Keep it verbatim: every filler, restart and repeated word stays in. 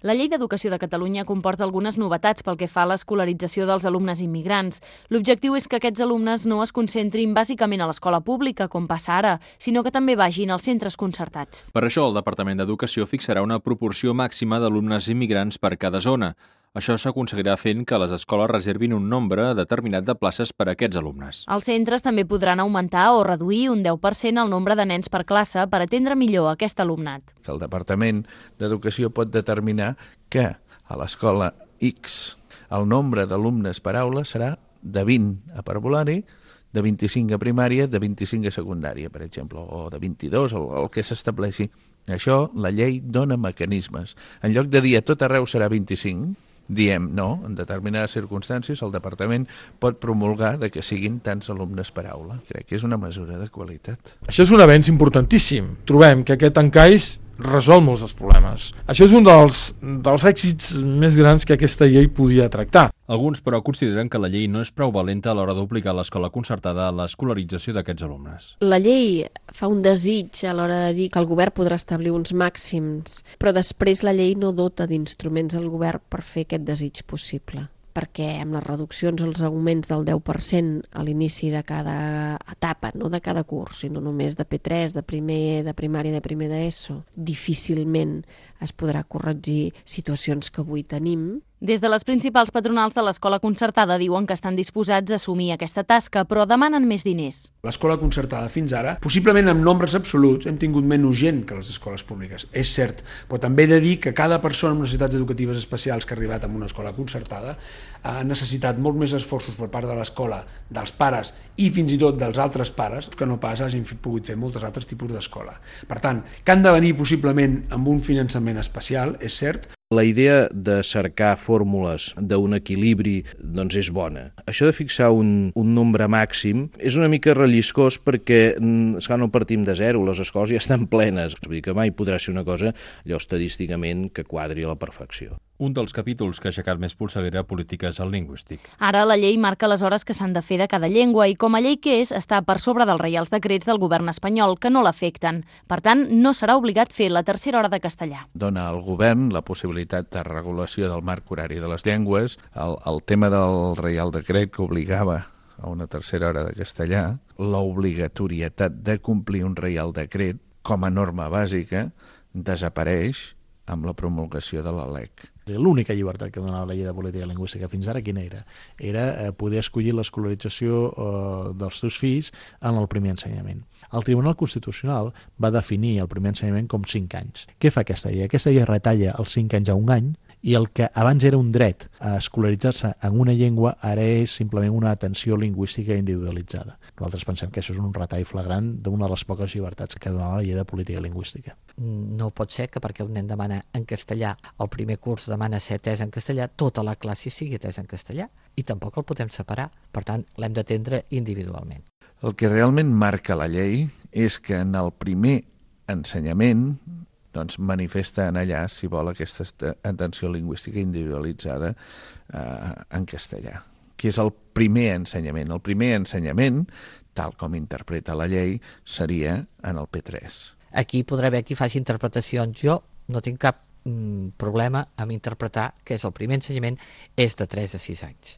La Llei d'Educació de Catalunya comporta algunes novetats pel que fa a l'escolarització dels alumnes immigrants. L'objectiu és que aquests alumnes no es concentrin bàsicament a l'escola pública, com passa ara, sinó que també vagin als centres concertats. Per això, el Departament d'Educació fixarà una proporció màxima d'alumnes immigrants per cada zona. Això s'aconseguirà fent que les escoles reservin un nombre determinat de places per a aquests alumnes. Els centres també podran augmentar o reduir un deu per cent el nombre de nens per classe per atendre millor aquest alumnat. El Departament d'Educació pot determinar que a l'escola X el nombre d'alumnes per aula serà de vint a parvulari, de vint-i-cinc a primària, de vint-i-cinc a secundària, per exemple, o de vint-i-dos, el, el que s'estableixi. Això, la llei dona mecanismes. En lloc de dir a tot arreu serà vint-i-cinc, diem no, en determinades circumstàncies el departament pot promulgar de que siguin tants alumnes per aula. Crec que és una mesura de qualitat. Això és un avenç importantíssim. Trobem que aquest encaix resol molts dels problemes. Això és un dels, dels èxits més grans que aquesta llei podia tractar. Alguns, però, consideren que la llei no és prou valenta a l'hora d'obligar l'escola concertada a l'escolarització d'aquests alumnes. La llei fa un desig a l'hora de dir que el govern podrà establir uns màxims, però després la llei no dota d'instruments al govern per fer aquest desig possible, perquè amb les reduccions, els augments del deu per cent a l'inici de cada etapa, no de cada curs, sinó només de P tres, de primer de primària, de primer d'ESO, difícilment es podrà corregir situacions que avui tenim. Des de les principals patronals de l'escola concertada diuen que estan disposats a assumir aquesta tasca, però demanen més diners. L'escola concertada fins ara, possiblement en nombres absoluts, hem tingut menys gent que les escoles públiques, és cert, però també he de dir que cada persona amb necessitats educatives especials que ha arribat a una escola concertada ha necessitat molt més esforços per part de l'escola, dels pares i fins i tot dels altres pares que no pas hagin pogut fer molts altres tipus d'escola. Per tant, que han de venir possiblement amb un finançament especial, és cert. La idea de cercar fórmules d'un equilibri doncs és bona. Això de fixar un, un nombre màxim és una mica relliscós perquè esclar, no partim de zero, les escoles ja estan plenes. Vull dir que mai podrà ser una cosa allò estadísticament que quadri a la perfecció. Un dels capítols que ha aixecat més polseguera política és el lingüístic. Ara la llei marca les hores que s'han de fer de cada llengua i com a llei que és està per sobre dels reials decrets del govern espanyol que no l'afecten. Per tant, no serà obligat fer la tercera hora de castellà. Dona al govern la possibilitat de regulació del marc horari de les llengües, el, el tema del reial decret que obligava a una tercera hora de castellà, l'obligatorietat de complir un reial decret com a norma bàsica desapareix amb la promulgació de la L E C. L'única llibertat que donava la llei de política lingüística fins ara, quina era? Era eh, poder escollir l'escolarització eh, dels teus fills en el primer ensenyament. El Tribunal Constitucional va definir el primer ensenyament com cinc anys. Què fa aquesta llei? Aquesta llei retalla els cinc anys a un any i el que abans era un dret a escolaritzar-se en una llengua ara és simplement una atenció lingüística individualitzada. Nosaltres pensem que això és un retall flagrant d'una de les poques llibertats que donava la llei de política lingüística. No pot ser que perquè un nen demana en castellà, el primer curs demana ser atès en castellà, tota la classe sigui atès en castellà i tampoc el podem separar. Per tant, l'hem d'atendre individualment. El que realment marca la llei és que en el primer ensenyament doncs manifesta en allà, si vol, aquesta atenció lingüística individualitzada eh, en castellà, que és el primer ensenyament. El primer ensenyament, tal com interpreta la llei, seria en el P tres. Aquí podrà haver qui faci interpretacions. Jo no tinc cap mm, problema amb interpretar que és el primer ensenyament és de tres a sis anys.